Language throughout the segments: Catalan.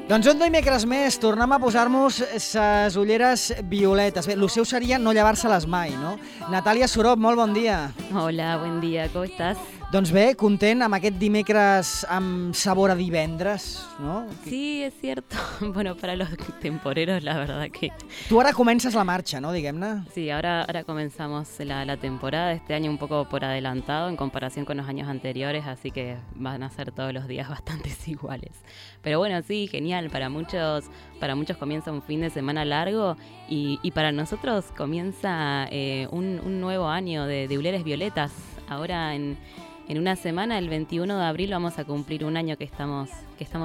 Doncs un dimecres més tornem a posar-nos les ulleres violetes. Bé, el seu seria no llevar-se-les mai, no? Natàlia Sorop, molt bon dia. Hola, buen día, ¿cómo estás? Doncs bé, content amb aquest dimecres amb sabor a divendres, no? Sí, es cierto. Bueno, para los temporeros, la verdad que... Tu ara comences la marxa, no, diguem-ne? Sí, ahora comenzamos la temporada, este año un poco por adelantado en comparación con los años anteriores, así que van a ser todos los días bastante iguales. Pero bueno, sí, genial, para muchos comienza un fin de semana largo y para nosotros comienza un nuevo año de Uleres Violetas. Ahora en una semana, el 21 de abril, vamos a cumplir un año que estamos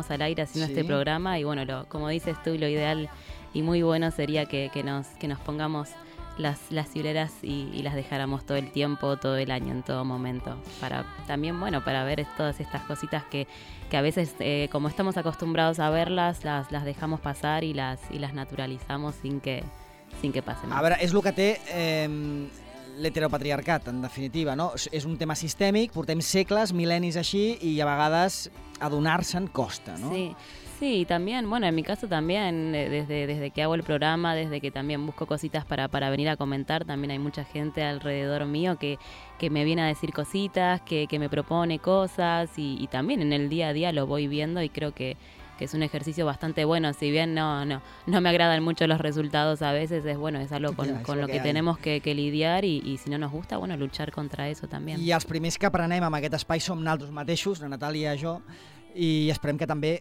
al aire haciendo este programa y bueno, como dices tú, lo ideal y muy bueno sería que nos pongamos las hileras y las dejáramos todo el tiempo, todo el año, en todo momento. Para también, bueno, para ver todas estas cositas que a veces, como estamos acostumbrados a verlas, las dejamos pasar y las naturalizamos sin que pasen. A veure, és el que té l'heteropatriarcat, en definitiva, no? És un tema sistèmic, portem segles, mil·lennis així, i a vegades adonar-se'n costa, ¿no? Sí. Sí, y también, bueno, en mi caso también, desde que hago el programa, desde que también busco cositas para venir a comentar, también hay mucha gente alrededor mío que me viene a decir cositas, que me propone cosas y también en el día a día lo voy viendo y creo que es un ejercicio bastante bueno, si bien no me agradan mucho los resultados a veces, es algo con lo que tenemos que lidiar y si no nos gusta, bueno, luchar contra eso también. I els primers que aprenem amb aquest espai som nosaltres mateixos, la Natàlia i jo, i esperem que també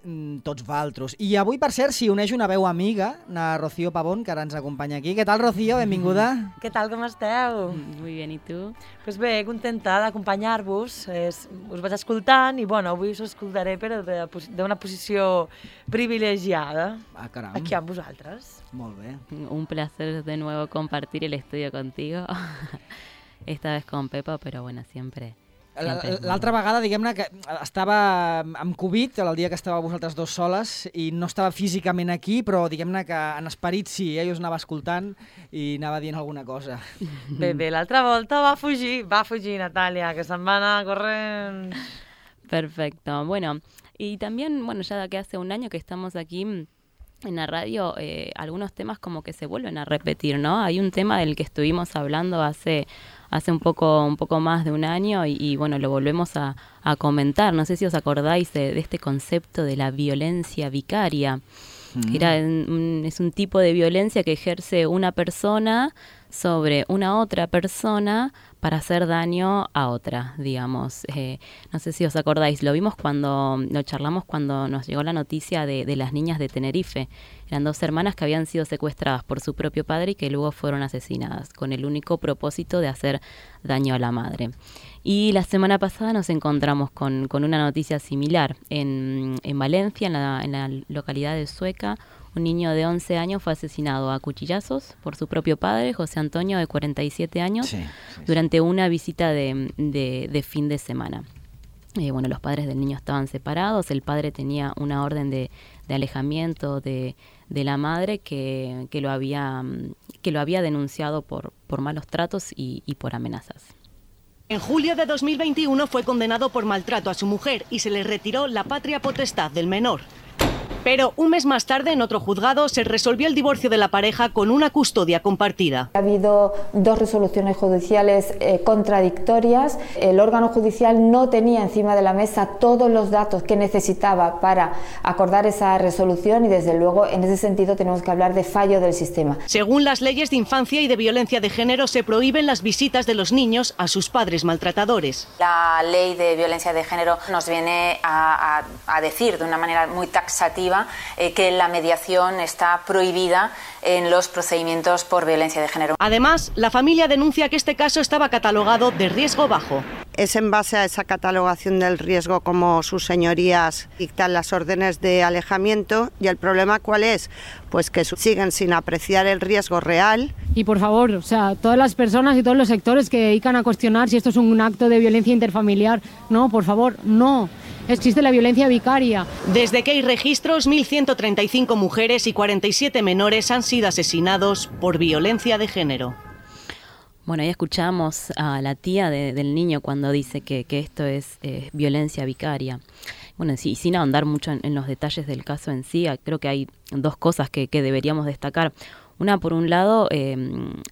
tots vosaltres. I avui, per cert, s'hi uneix una veu amiga, la Rocío Pavón, que ara ens acompanya aquí. Què tal, Rocío? Benvinguda. Què tal, com esteu? Muy bien, ¿y tú? Pues bé, contenta d'acompanyar-vos. Us vaig escoltant i, bueno, avui us escoltaré però d'una posició privilegiada. Ah, caram. Aquí amb vosaltres. Molt bé. Un placer de nuevo compartir el estudio contigo. Esta vez con Pepa, pero bueno, siempre... L'altra vegada, diguem-ne, que estava amb Covid, el dia que estàveu vosaltres dos soles, i no estava físicament aquí, però diguem-ne que en esperit sí, jo us anava escoltant i anava dient alguna cosa. Bé, l'altra volta va fugir Natàlia, que se'n va anar corrent. Perfecto, bueno, y también, bueno, ya que hace un año que estamos aquí en la radio, algunos temas como que se vuelven a repetir, ¿no? Hay un tema del que estuvimos hablando hace un poco más de un año y bueno, lo volvemos a comentar. No sé si os acordáis de este concepto de la violencia vicaria. Es un tipo de violencia que ejerce una persona sobre una otra persona para hacer daño a otra, digamos. No sé si os acordáis, lo charlamos cuando nos llegó la noticia de las niñas de Tenerife. Eran dos hermanas que habían sido secuestradas por su propio padre y que luego fueron asesinadas, con el único propósito de hacer daño a la madre. Y la semana pasada nos encontramos con una noticia similar. En Valencia, en la localidad de Sueca, un niño de 11 años fue asesinado a cuchillazos por su propio padre, José Antonio, de 47 años, durante una visita de fin de semana. Bueno, los padres del niño estaban separados, el padre tenía una orden de alejamiento de la madre que lo había denunciado por malos tratos y por amenazas. En julio de 2021 fue condenado por maltrato a su mujer y se le retiró la patria potestad del menor. Pero un mes más tarde, en otro juzgado, se resolvió el divorcio de la pareja con una custodia compartida. Ha habido dos resoluciones judiciales contradictorias. El órgano judicial no tenía encima de la mesa todos los datos que necesitaba para acordar esa resolución y, desde luego, en ese sentido tenemos que hablar de fallo del sistema. Según las leyes de infancia y de violencia de género, se prohíben las visitas de los niños a sus padres maltratadores. La ley de violencia de género nos viene a decir de una manera muy taxativa que la mediación está prohibida en los procedimientos por violencia de género. Además, la familia denuncia que este caso estaba catalogado de riesgo bajo. Es en base a esa catalogación del riesgo como sus señorías dictan las órdenes de alejamiento. ¿Y el problema cuál es? Pues que siguen sin apreciar el riesgo real. Y por favor, o sea, todas las personas y todos los sectores que dedican a cuestionar si esto es un acto de violencia interfamiliar, no, por favor, no. Existe la violencia vicaria. Desde que hay registros, 1.135 mujeres y 47 menores han sido asesinados por violencia de género. Bueno, ahí escuchamos a la tía del niño cuando dice que esto es violencia vicaria. Bueno, sí, sin ahondar mucho en los detalles del caso en sí, creo que hay dos cosas que deberíamos destacar. Una, por un lado,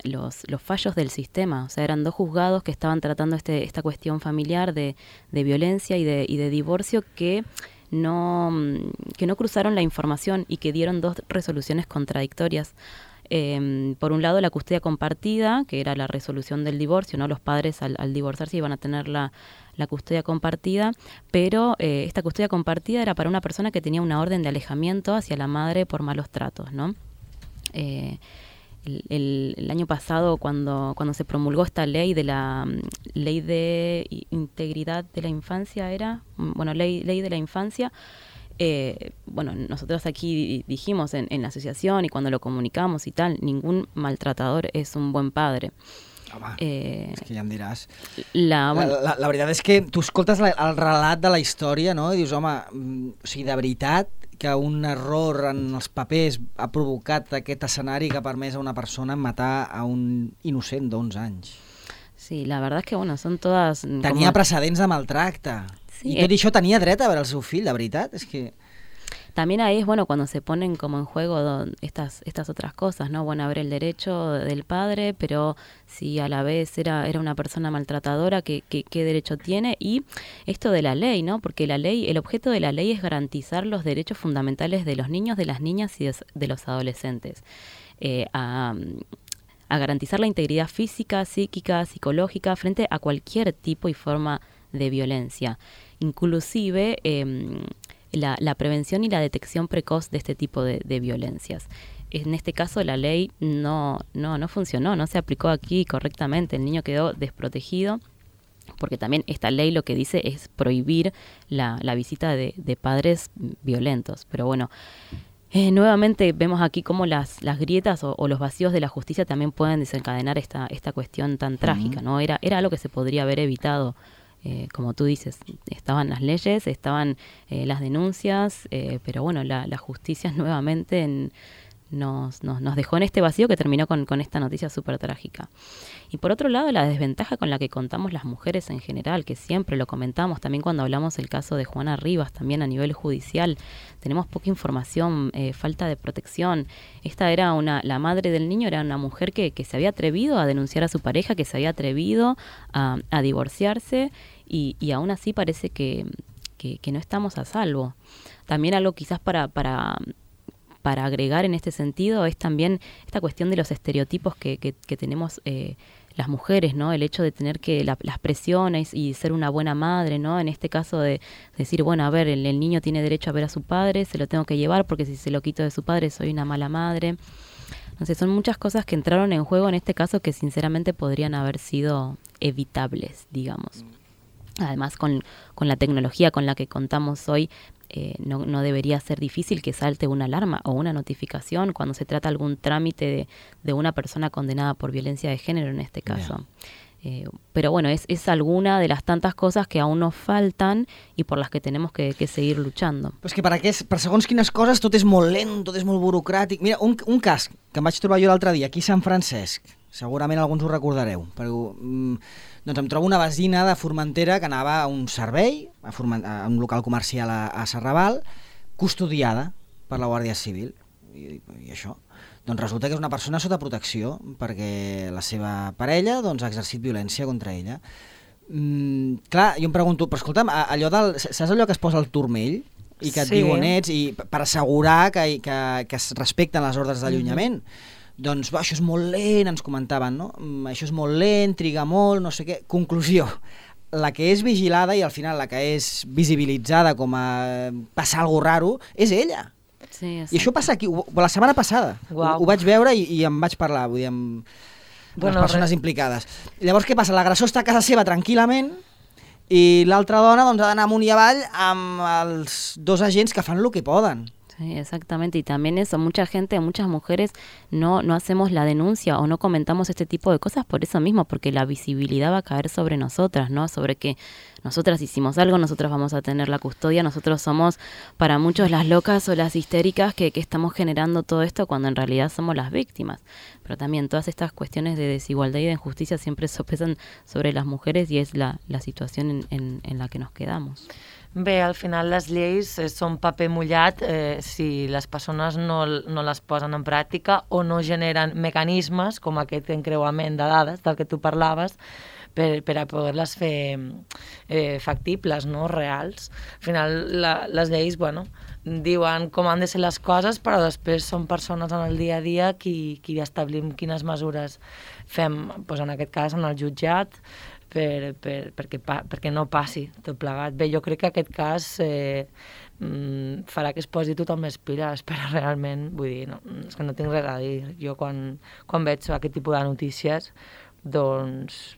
los fallos del sistema. O sea, eran 2 juzgados que estaban tratando esta cuestión familiar de violencia y de divorcio que no cruzaron la información y que dieron 2 resoluciones contradictorias. Por un lado, la custodia compartida, que era la resolución del divorcio, ¿no? Los padres al divorciarse iban a tener la custodia compartida, pero esta custodia compartida era para una persona que tenía una orden de alejamiento hacia la madre por malos tratos, ¿no? El año pasado, cuando se promulgó esta ley de la ley de integridad de la infancia, ley de la infancia, nosotros aquí dijimos en la asociación y cuando lo comunicamos y tal, ningún maltratador es un buen padre. Home, és que ja em diràs. La veritat és que tu escoltes el relat de la història, no? I dius, home, o sigui, de veritat que un error en els papers ha provocat aquest escenari que ha permès a una persona matar a un innocent d'11 anys. Sí, la verdad es que, son todas... Tenia precedents de maltracte. Sí, I tot això tenia dret a veure el seu fill, de veritat, és que... También ahí es bueno cuando se ponen como en juego estas otras cosas, ¿no? Bueno, haber el derecho del padre, pero si a la vez era una persona maltratadora, ¿qué derecho tiene? Y esto de la ley, ¿no? Porque la ley, el objeto de la ley es garantizar los derechos fundamentales de los niños, de las niñas y de los adolescentes. A garantizar la integridad física, psíquica, psicológica frente a cualquier tipo y forma de violencia. Inclusive... La prevención y la detección precoz de este tipo de violencias. En este caso la ley no funcionó, no se aplicó aquí correctamente, el niño quedó desprotegido, porque también esta ley lo que dice es prohibir la visita de padres violentos. Pero bueno, nuevamente vemos aquí cómo las grietas o los vacíos de la justicia también pueden desencadenar esta cuestión tan trágica, ¿no? Era algo que se podría haber evitado. Como tú dices, estaban las leyes, estaban las denuncias, pero bueno, la justicia nuevamente nos dejó en este vacío que terminó con esta noticia súper trágica. Y por otro lado, la desventaja con la que contamos las mujeres en general, que siempre lo comentamos, también cuando hablamos el caso de Juana Rivas, también a nivel judicial, tenemos poca información, falta de protección. Esta era la madre del niño, era una mujer que se había atrevido a denunciar a su pareja, que se había atrevido a divorciarse, y aún así parece que no estamos a salvo. También algo quizás para agregar en este sentido es también esta cuestión de los estereotipos que tenemos las mujeres, ¿no? El hecho de tener que las presiones y ser una buena madre, ¿no? En este caso de decir, bueno, a ver, el niño tiene derecho a ver a su padre, se lo tengo que llevar porque si se lo quito de su padre soy una mala madre. Entonces son muchas cosas que entraron en juego en este caso que sinceramente podrían haber sido evitables, digamos. Además, con la tecnología con la que contamos hoy, no debería ser difícil que salte una alarma o una notificación cuando se trata algún trámite de una persona condenada por violencia de género en este caso. Pero bueno, es alguna de las tantas cosas que aún nos faltan i per les que tenemos que seguir luchando. Però és que per segons quines coses tot és molt lent, tot és molt burocràtic. Mira, un cas que em vaig trobar jo l'altre dia aquí a Sant Francesc, segurament alguns ho recordareu, però doncs em trobo una vecina de Formentera que anava a un servei, a un local comercial a Serraval, custodiada per la Guàrdia Civil. I això? Doncs resulta que és una persona sota protecció perquè la seva parella ha exercit violència contra ella. Clar, jo em pregunto, però escolta'm, saps allò que es posa al turmell i que et diu on ets i per assegurar que es respecten les ordres d'allunyament? Doncs això és molt lent, ens comentaven, no? Això és molt lent, triga molt, no sé què. Conclusió, la que és vigilada i al final la que és visibilitzada com a passar alguna cosa raro és ella. Sí, i això passa aquí, la setmana passada. Ho vaig veure i em vaig parlar, vull dir, amb les persones implicades. Llavors què passa? L'agressor està a casa seva tranquil·lament i l'altra dona ha d'anar amunt i avall amb els dos agents que fan el que poden. Sí, exactamente, y también eso, muchas mujeres no hacemos la denuncia o no comentamos este tipo de cosas por eso mismo, porque la visibilidad va a caer sobre nosotras, ¿no? Sobre que nosotras hicimos algo, nosotras vamos a tener la custodia, nosotros somos para muchos las locas o las histéricas que estamos generando todo esto cuando en realidad somos las víctimas. Pero también todas estas cuestiones de desigualdad y de injusticia siempre sopesan sobre las mujeres y es la situación en la que nos quedamos. Bé, al final les lleis són paper mullat si les persones no les posen en pràctica o no generen mecanismes com aquest encreuament de dades del que tu parlaves per a poder-les fer factibles, no? Reals. Al final les lleis, diuen com han de ser les coses, però després són persones en el dia a dia qui establim quines mesures fem, doncs en aquest cas en el jutjat, perquè no passi tot plegat. Bé, jo crec que aquest cas farà que es posi tothom més piles, però realment, vull dir, no, és que no tinc res a dir. Jo quan veig aquest tipus de notícies, doncs...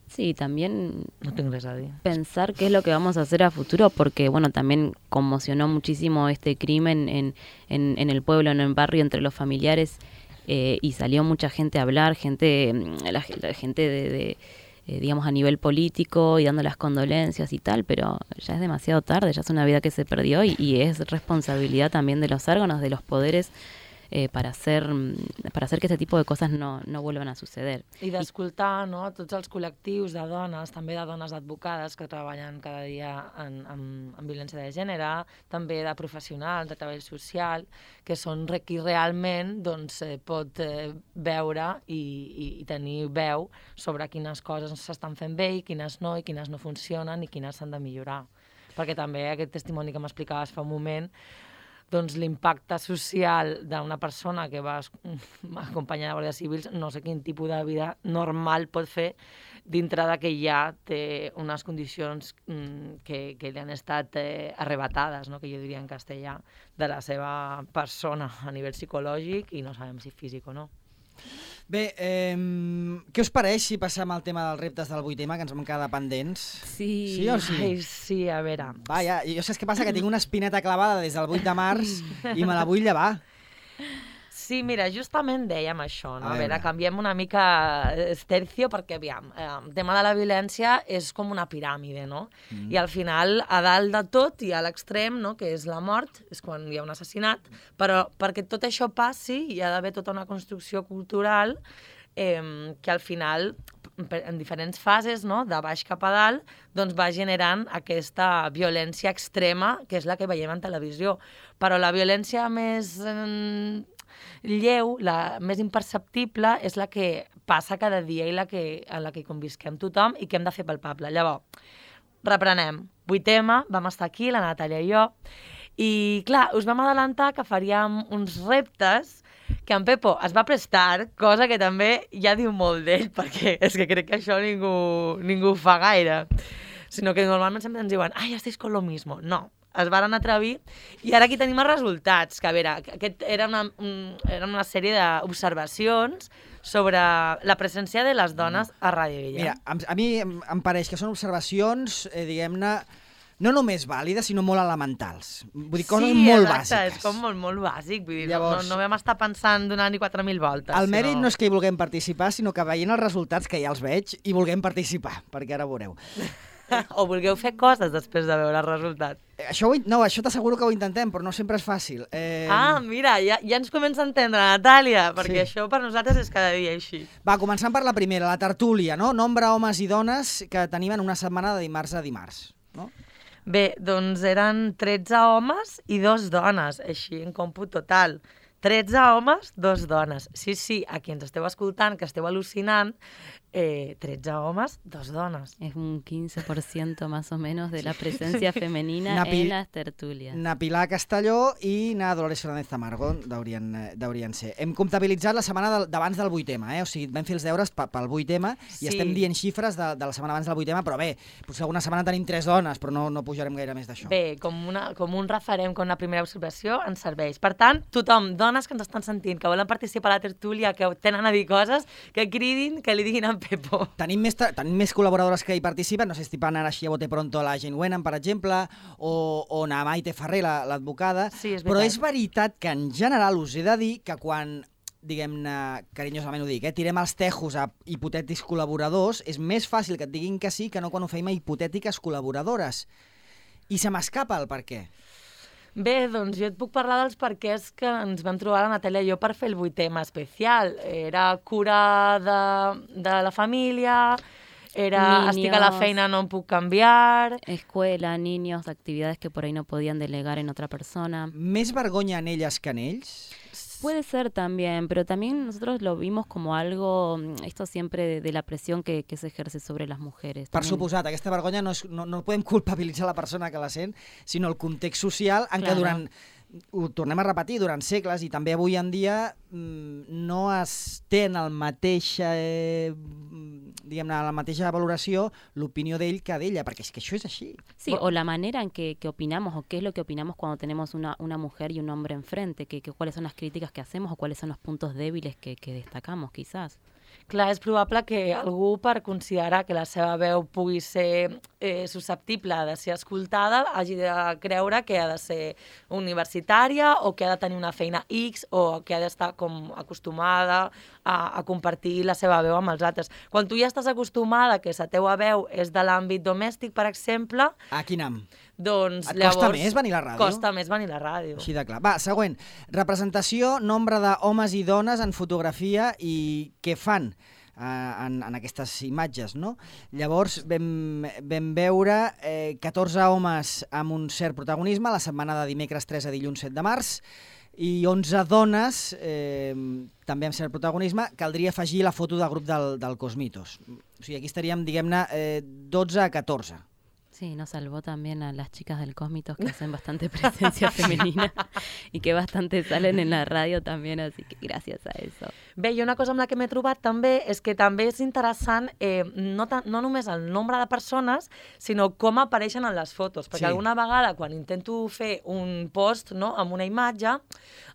Sí, también no tengo res a decir. Pensar qué es lo que vamos a hacer a futuro, porque bueno, también conmocionó muchísimo este crimen en el pueblo, en el barrio, entre los familiares, y salió mucha gente a hablar, la gente de digamos, a nivel político y dando las condolencias y tal, pero ya es demasiado tarde, ya es una vida que se perdió y es responsabilidad también de los órganos, de los poderes, para hacer que este tipo de cosas no vuelvan a suceder. I d'escoltar, no?, tots els col·lectius de dones, també de dones advocades que treballen cada dia en violència de gènere, també de professionals de treball social, que són qui realment doncs, pot veure i tenir veu sobre quines coses s'estan fent bé i quines no funcionen i quines s'han de millorar. Perquè també aquest testimoni que m'explicaves fa un moment, doncs l'impacte social d'una persona que va acompanyar de guàrdies civils, no sé quin tipus de vida normal pot fer dintre de que ja té unes condicions que li han estat arrebatades, no? Que jo diria en castellà, de la seva persona a nivell psicològic i no sabem si físic o no. Bé, què us pareix si passem al tema dels reptes del 8M, que ens vam quedar pendents? Sí. Sí o sí? Ai, sí, a veure. Vaja, jo saps què passa? Que tinc una espineta clavada des del 8 de març i me la vull llevar. Sí, mira, justament dèiem això, no? A veure, canviem una mica tercio perquè, aviam, el tema de la violència és com una piràmide, no? I al final, a dalt de tot, hi ha l'extrem, no?, que és la mort, és quan hi ha un assassinat, però perquè tot això passi hi ha d'haver tota una construcció cultural que al final, en diferents fases, no?, de baix cap a dalt, doncs va generant aquesta violència extrema, que és la que veiem en televisió. Però la violència més lleu, la més imperceptible, és la que passa cada dia i en la que convisquem tothom i que hem de fer palpable. Llavors, reprenem. 8M, vam estar aquí, la Natàlia i jo, i clar, us vam adelantar que faríem uns reptes que en Pepo es va prestar, cosa que també ja diu molt d'ell, perquè és que crec que això ningú ho fa gaire, sinó que normalment sempre ens diuen «Ai, estáis con lo mismo». No, es varen atrevir i ara aquí tenim els resultats, que a veure, aquest era una sèrie d'observacions sobre la presència de les dones a Ràdio Guillem. Mira, a mi em pareix que són observacions, diguem-ne, no només vàlides, sinó molt elementals. Vull dir, coses molt bàsiques. És com molt bàsic. Vull dir, llavors, no vam estar pensant donant-hi 4.000 voltes. El mèrit no és que hi vulguem participar, sinó que veient els resultats, que ja els veig, hi vulguem participar, perquè ara veureu. O vulgueu fer coses després de veure el resultat. Això t'asseguro que ho intentem, però no sempre és fàcil. Mira, ja ens comença a entendre, Natàlia, perquè això per nosaltres és cada dia així. Va, començant per la primera, la tertúlia, no? Nombre homes i dones que tenim en una setmana de dimarts a dimarts, no? Bé, doncs eren 13 homes i 2 dones, així en còmput total. 13 homes, 2 dones. Sí, a qui ens esteu escoltant, que esteu al·lucinant, 13 homes, 2 dones. Es un 15% más o menos de la presencia femenina en las tertulias. Na Pilar Castelló i na Dolores Fernández Tamargo deurien ser. Hem comptabilitzat la setmana d'abans del 8M, o sigui, vam fer els deures pel 8M i estem dient xifres de la setmana abans del 8M, però bé, potser alguna setmana tenim 3 dones, però no pujarem gaire més d'això. Bé, com un referent, com una primera observació, ens serveix. Per tant, tothom, dones que ens estan sentint, que volen participar a la tertúlia, que tenen a dir coses, que cridin, que li diguin a Pepo. Tenim més col·laboradores que hi participen, no sé si van ara així a bote pronto la Jane Wenham, per exemple, o na Maite Ferrer, l'advocada, sí, però és veritat que en general us he de dir que quan, diguem-ne, carinyosament ho dic, tirem els tejos a hipotètics col·laboradors, és més fàcil que et diguin que sí que no quan ho feim a hipotètiques col·laboradores. I se m'escapa el per què. Bé, doncs jo et puc parlar dels perquès que ens vam trobar la Natàlia i jo per fer el 8M especial. Era cura de la família, era estic a la feina, no em puc canviar... Escuela, niños, actividades que por ahí no podían delegar en otra persona. Més vergonya en elles que en ells? Puede ser también, pero también nosotros lo vimos como algo, esto siempre de la presión que se ejerce sobre las mujeres. Per También. suposat, aquesta vergonya no podem culpabilitzar la persona que la sent, sinó el context social en què Claro. ho tornem a repetir, durant segles i també avui en dia no es té en el mateix, diguem-ne, la mateixa valoració l'opinió d'ell que d'ella, perquè és que això és així. Sí, o la manera en que opinamos, o qué es lo que opinamos cuando tenemos una mujer y un hombre enfrente, que cuáles son las críticas que hacemos o cuáles son los puntos débiles que destacamos, quizás. Clar, és probable que algú, per considerar que la seva veu pugui ser susceptible de ser escoltada, hagi de creure que ha de ser universitària o que ha de tenir una feina X o que ha d'estar com acostumada a compartir la seva veu amb els altres. Quan tu ja estàs acostumada que la teua veu és de l'àmbit domèstic, per exemple, A quin doncs Et costa llavors... més venir a la ràdio? Costa més venir a la ràdio. Així de clar. Va, següent. Representació, nombre d'homes i dones en fotografia i què fan en aquestes imatges, no? Llavors vam veure 14 homes amb un cert protagonisme la setmana de dimecres 3 a dilluns 7 de març i 11 dones també amb cert protagonisme. Caldria afegir la foto del grup del Cosmitos. O sigui, aquí estaríem, diguem-ne, 12 a 14. Sí, nos salvó también a las chicas del Cosmitos que hacen bastante presencia femenina y que bastante salen en la radio también, así que gracias a eso. Bé, i una cosa amb la que m'he trobat també és que també és interessant no només el nombre de persones, sinó com apareixen en les fotos, perquè alguna vegada quan intento fer un post amb una imatge,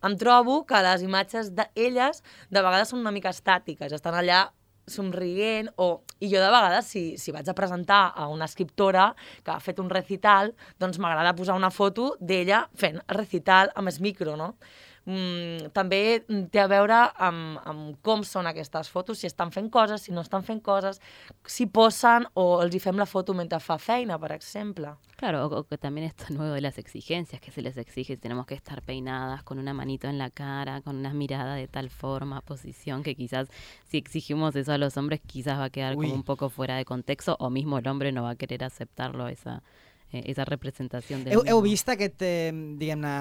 em trobo que les imatges d'elles de vegades són una mica estàtiques, estan allà somrient, i jo de vegades, si vaig a presentar a una escriptora que ha fet un recital, doncs m'agrada posar una foto d'ella fent el recital amb el micro, no? També té a veure amb com són aquestes fotos, si estan fent coses, si no estan fent coses, si posen o els hi fem la foto mentre fa feina, per exemple. Claro, o que también esto nuevo de las exigencias que se les exige, tenemos que estar peinadas con una manito en la cara, con una mirada de tal forma, posición, que quizás si exigimos eso a los hombres quizás va a quedar como un poco fuera de contexto, o mismo el hombre no va a querer aceptarlo, esa representació del Heu vist diguem-ne,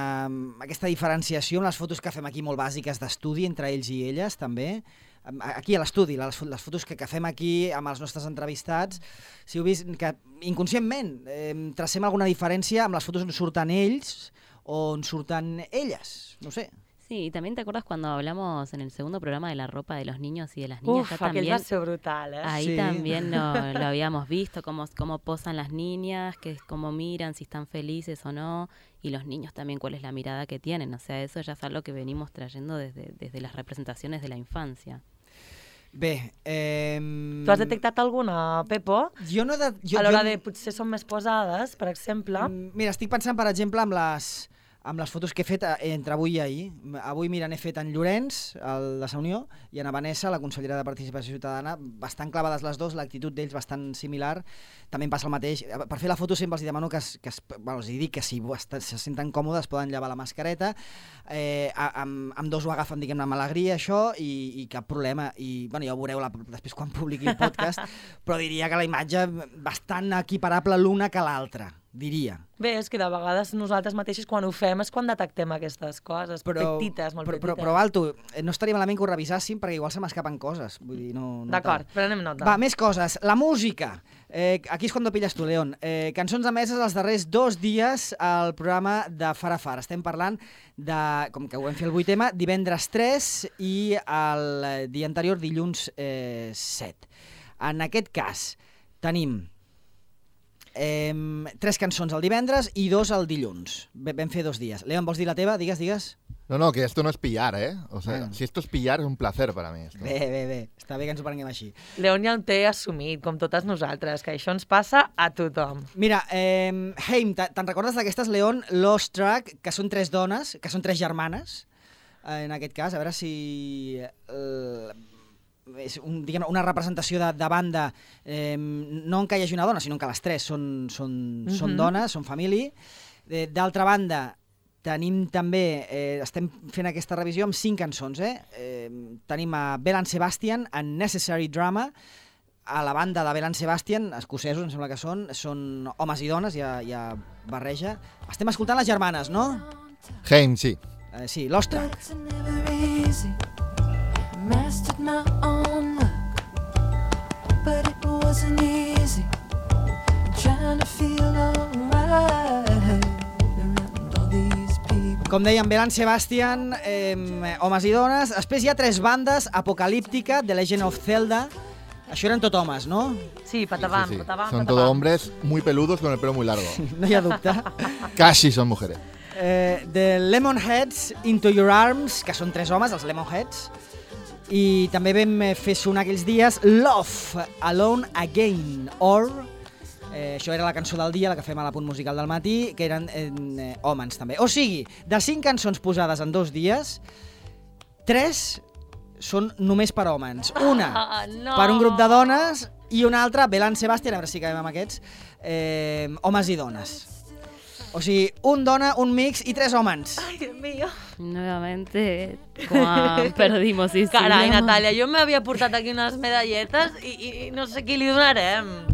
aquesta diferenciació amb les fotos que fem aquí molt bàsiques d'estudi entre ells i elles, també? Aquí a l'estudi, les fotos que fem aquí amb els nostres entrevistats, si heu vist que inconscientment tracem alguna diferència amb les fotos on surten ells o on surten elles, no sé. Sí, y también te acuerdas cuando hablamos en el segundo programa de la ropa de los niños y de las niñas. Uf, aquell va ser brutal, Ahí sí. también lo habíamos visto, cómo posan las niñas, cómo miran, si están felices o no, y los niños también cuál es la mirada que tienen. O sea, eso ya es algo que venimos trayendo desde las representaciones de la infancia. Bé, Tu has detectat alguna, Pepo? jo no... A l'hora de potser són més posades, per exemple? Mira, estic pensant, per exemple, amb les fotos que he fet entre avui i ahir. Avui, mira, n'he fet en Llorenç, el de Sa Unió, i en Vanessa, la consellera de Participació Ciutadana, bastant clavades les dues, l'actitud d'ells bastant similar. També em passa el mateix. Per fer la foto sempre els demano que els dic que si se senten còmodes poden llevar la mascareta. Amb dos ho agafen, diguem-ne, amb alegria, això, i cap problema. I, bueno, ja ho veureu després quan publiqui el podcast, però diria que la imatge bastant equiparable l'una que l'altra, diria. Bé, és que de vegades nosaltres mateixos quan ho fem és quan detectem aquestes coses, petites, molt petites. Però Alto, no estaria malament que ho revisàssim perquè igual se m'escapen coses. Vull dir, no D'acord, prenem nota. Va, més coses. La música. Aquí és quan pilles tu, León. Cançons emeses els darrers 2 dies al programa de Far a Far. Estem parlant de, com que ho vam fer el 8M, divendres 3 i el dia anterior, dilluns 7. En aquest cas, tenim 3 cançons el divendres i 2 el dilluns. Vam fer 2 dies. León, vols dir la teva? Digues. No, que esto no es pillar, ¿eh? O sea, si esto es pillar, es un placer para mí. Esto. Bé. Està bé que ens ho prenguem així. León ja ho té assumit, com totes nosaltres, que això ens passa a tothom. Mira, Heim, te'n recordes d'aquestes, León, Lost Track, que són 3 dones, que són 3 germanes, en aquest cas, a veure si... és una representació de banda, no en què hi hagi una dona, sinó que les 3 són dones, són família. D'altra banda, tenim també, estem fent aquesta revisió amb 5 cançons. Tenim a Belle and Sebastian, en Necessary Drama, a la banda de Bell & Sebastian, escocesos, em sembla que són homes i dones, ja barreja. Estem escoltant les germanes, no? Haim, sí. Sí, Lost Track. Com dèiem, Bell & Sebastian, homes i dones. Després hi ha 3 bandes, Apocalíptica, The Legend of Zelda. Això eren tot homes, ¿no? Sí, patapam, Sí. patapam, Son patapam. todos hombres muy peludos con el pelo muy largo. No hi ha dubte. Casi son mujeres. The Lemonheads, Into Your Arms, que són 3 homes, els Lemonheads. I també vam fer sonar aquells dies Love, Alone Again, això era la cançó del dia, la que fem a l'apunt musical del matí, que eren homes també. O sigui, de 5 cançons posades en 2 dies, 3 són només per homes. Una no. per un grup de dones i una altra, Bell & Sebastian, a veure si acabem amb aquests, homes i dones. O sigui, un dona, un mix i 3 homes. Ay, Dios mío. Nuevamente, Juan, perdimos. Sí, Carai, sí, Natàlia, jo m'havia portat aquí unes medalletes i no sé qui li donarem.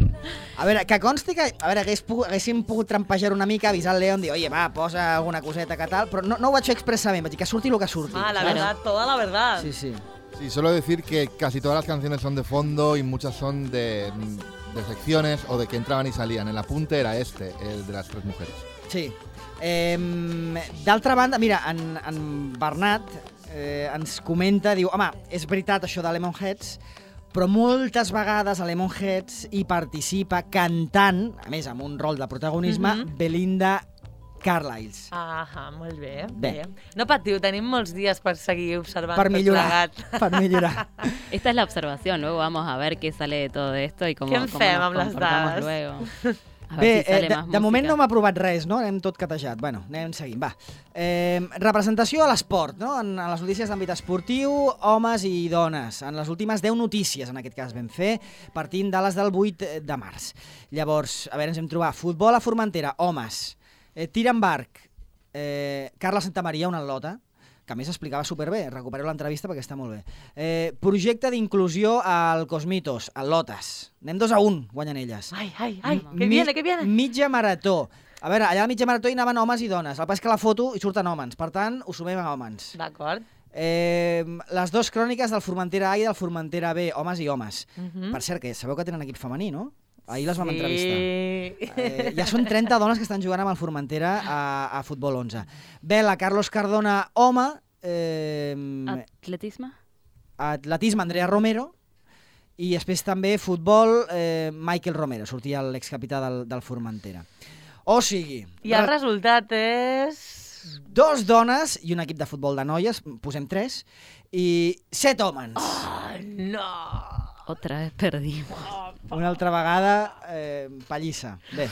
A veure, que consti que haguéssim pogut trampejar una mica, avisar el León, dir, oye, va, posa alguna coseta que tal, però no ho vaig fer expressament, vaig dir que surti el que surti. Ah, la verdad, toda la verdad. Sí, sí. Sí, solo decir que casi todas las canciones son de fondo y muchas son de secciones o de que entraban y salían. El apunte era el de las 3 mujeres. Sí. D'altra banda, mira, en Bernat ens comenta, diu, home, és veritat això de Lemonheads, però moltes vegades a Lemonheads hi participa cantant, a més amb un rol de protagonisme, Belinda Carlisle. Ah, molt bé. Bé. No patiu, tenim molts dies per seguir observant Per millorar, tot plegat. per millorar. Esta es la observación, luego vamos a ver qué sale de todo esto y cómo, Què en cómo fem nos amb les comportamos dades? luego. A ver Bé, si sale más de moment música. no m'ha aprovat res, no? Anem tot catejat. Bueno, anem seguint, va. Representació a l'esport, no? En les notícies d'àmbit esportiu, homes i dones. En les últimes 10 notícies, en aquest cas, vam fer, partint de les del 8 de març. Llavors, a veure, ens hem trobat futbol a Formentera, homes. Tir amb arc, Carla Santamaria, una atleta, que a més explicava superbé, recupereu l'entrevista perquè està molt bé. Projecte d'inclusió al Cosmitos, al Lotes. Anem 2-1, guanyen elles. Ai, que viene, que viene. Mitja marató. A veure, allà a la mitja marató hi anaven homes i dones. El pas que la foto hi surten homes, per tant, ho sumem a homes. D'acord. Les 2 cròniques del Formentera A i del Formentera B, homes i homes. Per cert, que sabeu que tenen equip femení, no? Ahir les vam entrevistar. Ja són 30 dones que estan jugant amb el Formentera a Futbol 11. Vela, Carlos Cardona, home. Atletisme? Atletisme, Andrea Romero. I després també futbol, Michael Romero, sortia l'excapità del Formentera. O sigui... I el resultat és... 2 dones i un equip de futbol de noies, posem 3, i 7 homes. Oh, no! Otra vez perdimos. Una altra vegada, pallissa. Bé.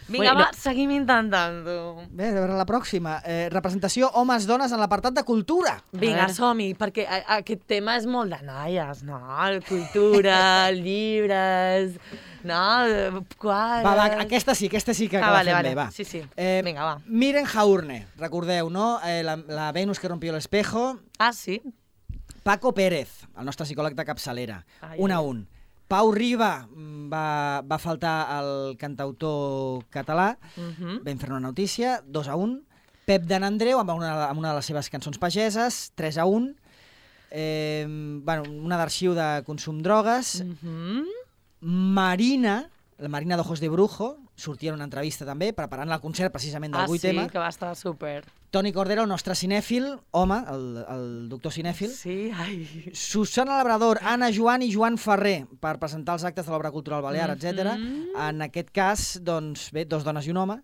Vinga, va, seguim intentant-ho. Bé, a veure la pròxima. Representació homes-dones en l'apartat de cultura. Vinga, som-hi, perquè aquest tema és molt de noies, no? Cultura, llibres, no? Va, aquesta sí que la fem bé, va. Sí, vinga, va. Miren Jaurne, recordeu, no? La Venus que rompió l'espejo. Ah, sí? Paco Pérez, el nostre psicòleg de capçalera, 1-1. Pau Riba va faltar el cantautor català, vam fer una notícia, 2-1. Pep de Nandreu, amb una de les seves cançons pageses, 3-1. Una d'arxiu de consum drogues. Marina, la Marina d'Ojos de Brujo, sortia en una entrevista també, preparant el concert precisament del 8M. Ah, sí, que va estar súper. Toni Cordero, el nostre cinèfil, home, el doctor cinèfil. Sí, ai. Susana Labrador, Anna Joan i Joan Ferrer, per presentar els actes de l'obra cultural balear, etc. En aquest cas, doncs, bé, 2 dones i un home,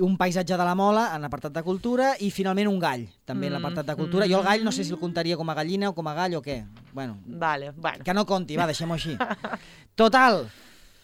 un paisatge de la Mola en l'apartat de cultura i finalment un gall, també en l'apartat de cultura. Jo el gall no sé si el comptaria com a gallina o com a gall o què. Bueno, que no compti, va, deixem-ho així. Total,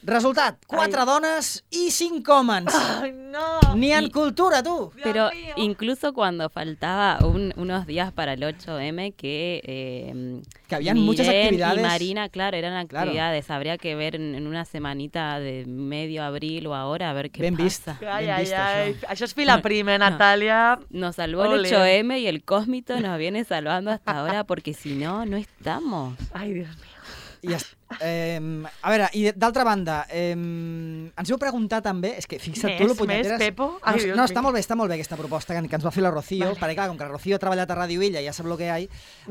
resultat, 4 dones y 5 homes. Ay, no. Ni en cultura, tú. Pero incluso cuando faltaba unos días para el 8M que habían Miren muchas actividades. Y Marina, claro, eran actividades. Claro. Habría que ver en una semanita de medio abril o ahora a ver qué pasa. Ay, això és fila prima, Natàlia. Nos salvó el 8M y el Cósmito nos viene salvando hasta ahora porque si no, no estamos. Ay, Dios mío. A veure, i d'altra banda, ens heu preguntat també, és que fixa't tu, lo punyeteres... Més, Pepo? No, està molt bé aquesta proposta que ens va fer la Rocío, perquè clar, com que la Rocío ha treballat a Ràdio Illa, ja sap lo que hi ha,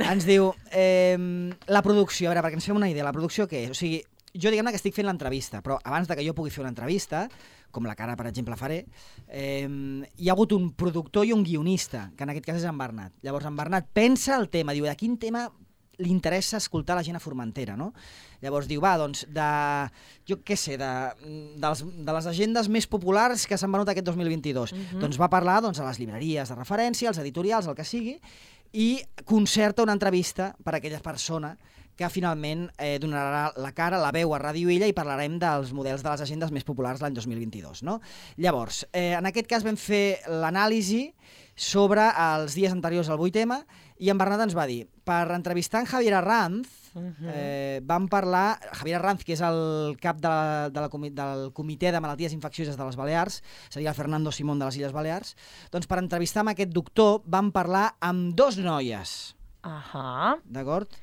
ens diu, la producció, a veure, perquè ens fem una idea, la producció què és? O sigui, jo diguem-ne que estic fent l'entrevista, però abans de que jo pugui fer una entrevista, com la que ara, per exemple, faré, hi ha hagut un productor i un guionista, que en aquest cas és en Bernat. Llavors, en Bernat pensa el tema, diu, de quin tema li interessa escoltar la gent a Formentera, no? Llavors diu, va, doncs, jo què sé, de les agendes més populars que s'han venut aquest 2022. Doncs va parlar a les llibreries de referència, als editorials, el que sigui, i concerta una entrevista per a aquella persona que finalment donarà la cara, la veu a Ràdio Illa i parlarem dels models de les agendes més populars l'any 2022. No? Llavors, en aquest cas vam fer l'anàlisi sobre els dies anteriors al 8M i en Bernat ens va dir, per entrevistar en Javier Arranz, vam parlar, Javier Arranz, que és el cap del Comitè de Malalties Infeccioses de les Balears, seria el Fernando Simón de les Illes Balears, doncs per entrevistar amb aquest doctor vam parlar amb 2 noies. D'acord?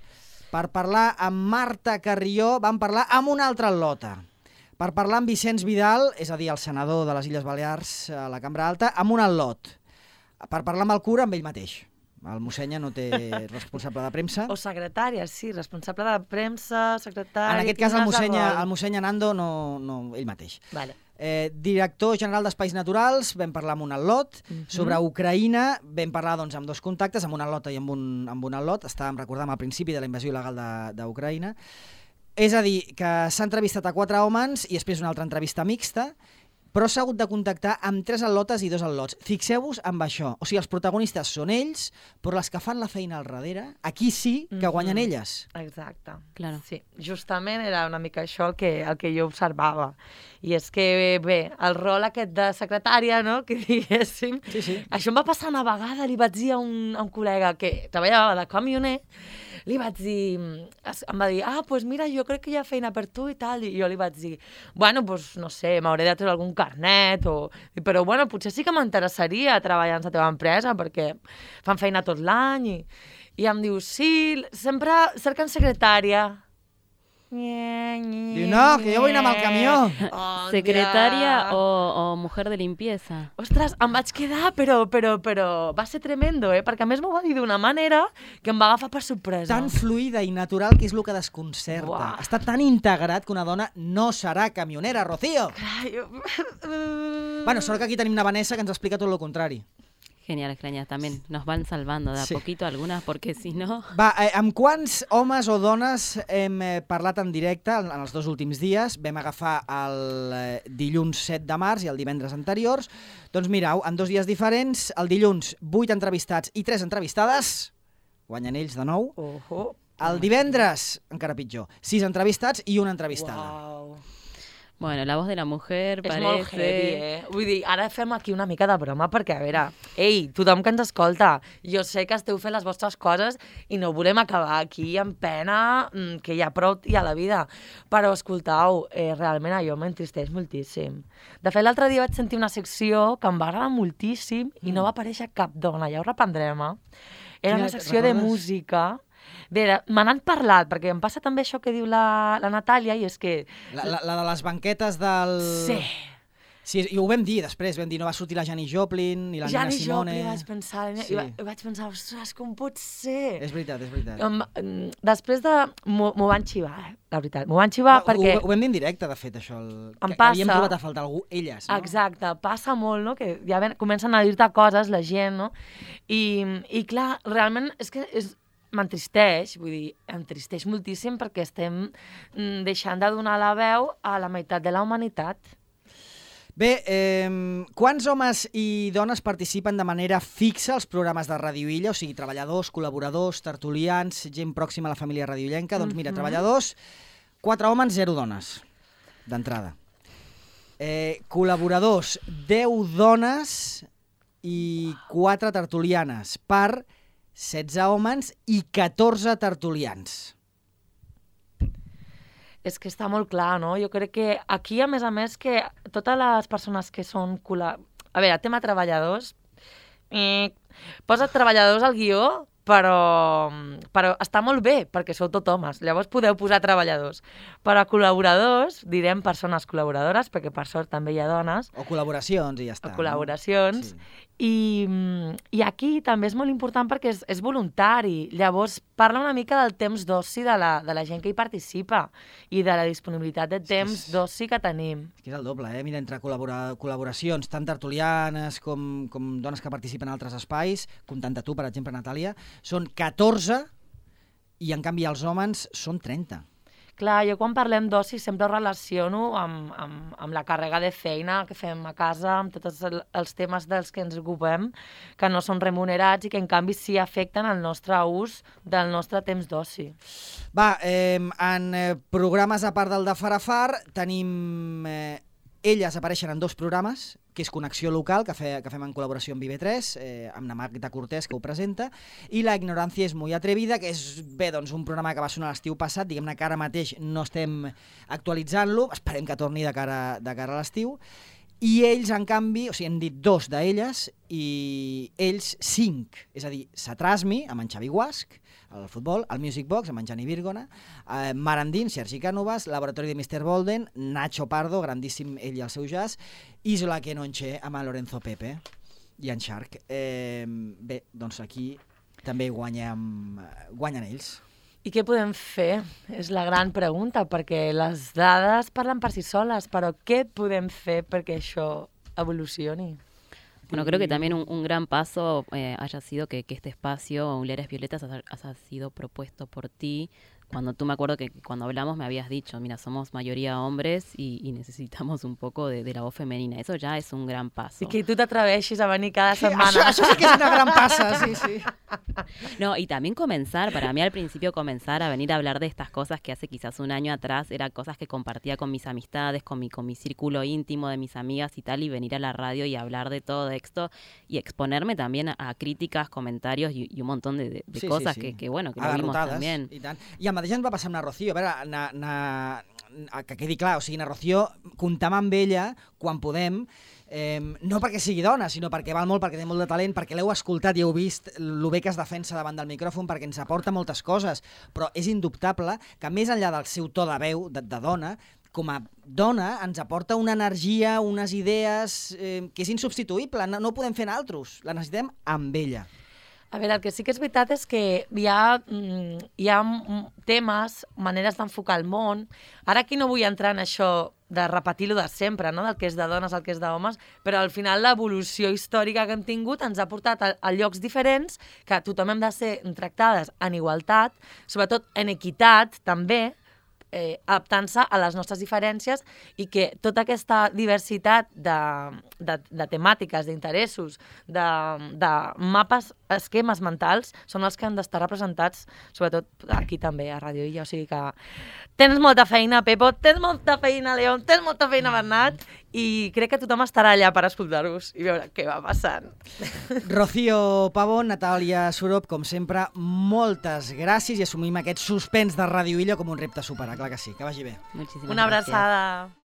Per parlar amb Marta Carrió vam parlar amb una altra al·lota. Per parlar amb Vicenç Vidal, és a dir, el senador de les Illes Balears a la Cambra Alta, amb un al·lot. Per parlar amb el cura, amb ell mateix. El mossenya no té responsable de premsa. O secretària, sí, responsable de premsa, secretària... En aquest cas el mossenya Nando, no ell mateix. Vale. Director general d'Espais Naturals, vam parlar amb un al·lot. Sobre Ucraïna vam parlar amb 2 contactes, amb un al·lot i amb un al·lot. Recordàvem al principi de la invasió il·legal d'Ucraïna. És a dir, que s'ha entrevistat a 4 homes i després una altra entrevista mixta, però s'ha hagut de contactar amb 3 al·lotes i 2 al·lots. Fixeu-vos amb això. O sigui, els protagonistes són ells, però les que fan la feina al darrere, aquí sí que guanyen elles. Exacte. Claro. Sí, justament era una mica això el que jo observava. I és que, bé, el rol aquest de secretària, no?, que diguéssim... Sí. Això em va passar una vegada, li vaig dir a un col·lega que treballava de camioner, li vaig dir... Em va dir, doncs mira, jo crec que hi ha feina per tu i tal, i jo li vaig dir, bueno, doncs no sé, m'hauré de treure algun carnet, però bueno, potser sí que m'interessaria treballar en la teva empresa, perquè fan feina tot l'any, i em diu, sí, sempre cerquen secretària. Diu, no, que jo vull anar amb el camió. ¿Secretaria o mujer de limpieza? Ostres, em vaig quedar, però va ser tremendo, perquè a més m'ho va dir d'una manera que em va agafar per sorpresa. Tan fluida i natural que és el que desconcerta. Uah. Està tan integrat que una dona no serà camionera, Rocío. Bueno, sort que aquí tenim una Vanessa que ens explica tot el contrari. Genial, también nos van salvando de a poquito algunas, porque si no... Va, amb quants homes o dones hem parlat en directe en els 2 últims dies? Vam agafar el dilluns 7 de març i el divendres anteriors. Doncs mireu, en 2 dies diferents, el dilluns 8 entrevistats i 3 entrevistades, guanyen ells de nou. El divendres, encara pitjor, 6 entrevistats i una entrevistada. Uau. Bueno, la voz de la mujer és parece... molt heavy, Vull dir, ara fem aquí una mica de broma, perquè, a veure, ei, tothom que ens escolta, jo sé que esteu fent les vostres coses i no volem acabar aquí amb pena, que hi ha prou i a la vida. Però, escoltau, realment allò m'entristeix moltíssim. De fet, l'altre dia vaig sentir una secció que em va agradar moltíssim i no va aparèixer cap dona, ja ho reprendrem, Era una secció de música... Bé, me n'han parlat, perquè em passa també això que diu la Natàlia, i és que... La de les banquetes del... Sí, i ho vam dir després, vam dir, no va sortir la Janis Joplin ni la Nina Simone... Janis Joplin, vaig pensar, ostres, com pot ser? És veritat. Després de... M'ho van xivar, la veritat. M'ho van xivar perquè... Ho vam dir en directe, de fet, això. Em passa... Havíem trobat a faltar algú, elles, no? Exacte, passa molt, no?, que ja comencen a dir-te coses, la gent, no? I clar, realment és que m'entristeix, vull dir, entristeix moltíssim perquè estem deixant de donar la veu a la meitat de la humanitat. Bé, quants homes i dones participen de manera fixa als programes de Ràdio Illa? O sigui, treballadors, col·laboradors, tertulians, gent pròxima a la família radiollenca. Doncs mira, treballadors, 4 homes, 0 dones, d'entrada. Col·laboradors, 10 dones i 4 tertulianes, per 16 homes i 14 tertulians. És que està molt clar, no? Jo crec que aquí, a més, que totes les persones que són... A veure, tema treballadors... Posa treballadors al guió però està molt bé, perquè sou tot homes, llavors podeu posar treballadors. Però a col·laboradors, direm persones col·laboradores, perquè per sort també hi ha dones. O col·laboracions, i ja està. O col·laboracions. No? Sí. I aquí també és molt important perquè és voluntari. Llavors, parla una mica del temps d'oci de la gent que hi participa i de la disponibilitat de temps d'oci que tenim. És que és el doble, Mira, entre col·laboracions, tant tertulianes com dones que participen en altres espais, comptant tu, per exemple, Natàlia, són 14 i, en canvi, els homes són 30. Clar, jo quan parlem d'oci sempre ho relaciono amb la càrrega de feina que fem a casa, amb tots els temes dels que ens ocupem, que no són remunerats i que en canvi sí afecten el nostre ús del nostre temps d'oci. Va, en programes a part del de Farafar tenim... Elles apareixen en 2 programes, que és Connexió Local, que fem en col·laboració amb IB3, amb la Magda Cortés, que ho presenta, i La ignorància és muy atrevida, que és, doncs, un programa que va sonar l'estiu passat, diguem-ne que ara mateix no estem actualitzant-lo, esperem que torni de cara a l'estiu, i ells, en canvi, o sigui, hem dit 2 d'elles, i ells 5, és a dir, Satrasmi, amb en Xavi Guasch, el futbol, el Music Box, amb en Gianni Virgona, Marandín, Sergi Cànovas, Laboratori de Mr. Bolden, Nacho Pardo, grandíssim ell i el seu jazz, Isola Kenonche amb en Lorenzo Pepe i en Shark. Bé, doncs aquí també guanyen ells. I què podem fer? És la gran pregunta, perquè les dades parlen per si soles, però què podem fer perquè això evolucioni? Bueno, creo que también un gran paso haya sido que este espacio, Mujeres Violetas, haya sido propuesto por ti. Cuando tú, me acuerdo que cuando hablamos me habías dicho, mira, somos mayoría hombres y necesitamos un poco de la voz femenina. Eso ya es un gran paso. I que tu t'atreveixis a venir cada setmana. Això sí que és una gran passa, sí. No, y también para mí al principio comenzar a venir a hablar de estas cosas que hace quizás un año atrás eran cosas que compartía con mis amistades, con mi círculo íntimo de mis amigas y tal, y venir a la radio y hablar de todo esto y exponerme también a críticas, comentarios y un montón de cosas que bueno, que lo vimos también. I tant. I el mateix ens va passar amb la Rocío. A veure, que quedi clar, o sigui, na Rocío, comptam amb ella quan podem, no perquè sigui dona, sinó perquè val molt, perquè té molt de talent, perquè l'heu escoltat i heu vist el bé que es defensa davant del micròfon, perquè ens aporta moltes coses, però és indubtable que més enllà del seu to de veu de dona, com a dona ens aporta una energia, unes idees que és insubstituïble, no ho podem fer nosaltres, la necessitem amb ella. A veure, el que sí que és veritat és que hi ha temes, maneres d'enfocar el món. Ara aquí no vull entrar en això de repetir-lo de sempre, no? Del que és de dones al que és d'homes, però al final l'evolució històrica que hem tingut ens ha portat a llocs diferents, que tothom hem de ser tractades en igualtat, sobretot en equitat també, adaptant-se a les nostres diferències, i que tota aquesta diversitat de temàtiques, d'interessos, de mapes, esquemes mentals, són els que han d'estar representats, sobretot aquí també, a Ràdio Illa. O sigui que tens molta feina, Pepo, tens molta feina, León, tens molta feina, Bernat, i crec que tothom estarà allà per escoltar-vos i veure què va passant. Rocío Pavón, Natàlia Surop, com sempre, moltes gràcies, i assumim aquest suspens de Ràdio Illa com un repte a superar, clar que sí, que vagi bé. Muchísimas Una gracias. abraçada.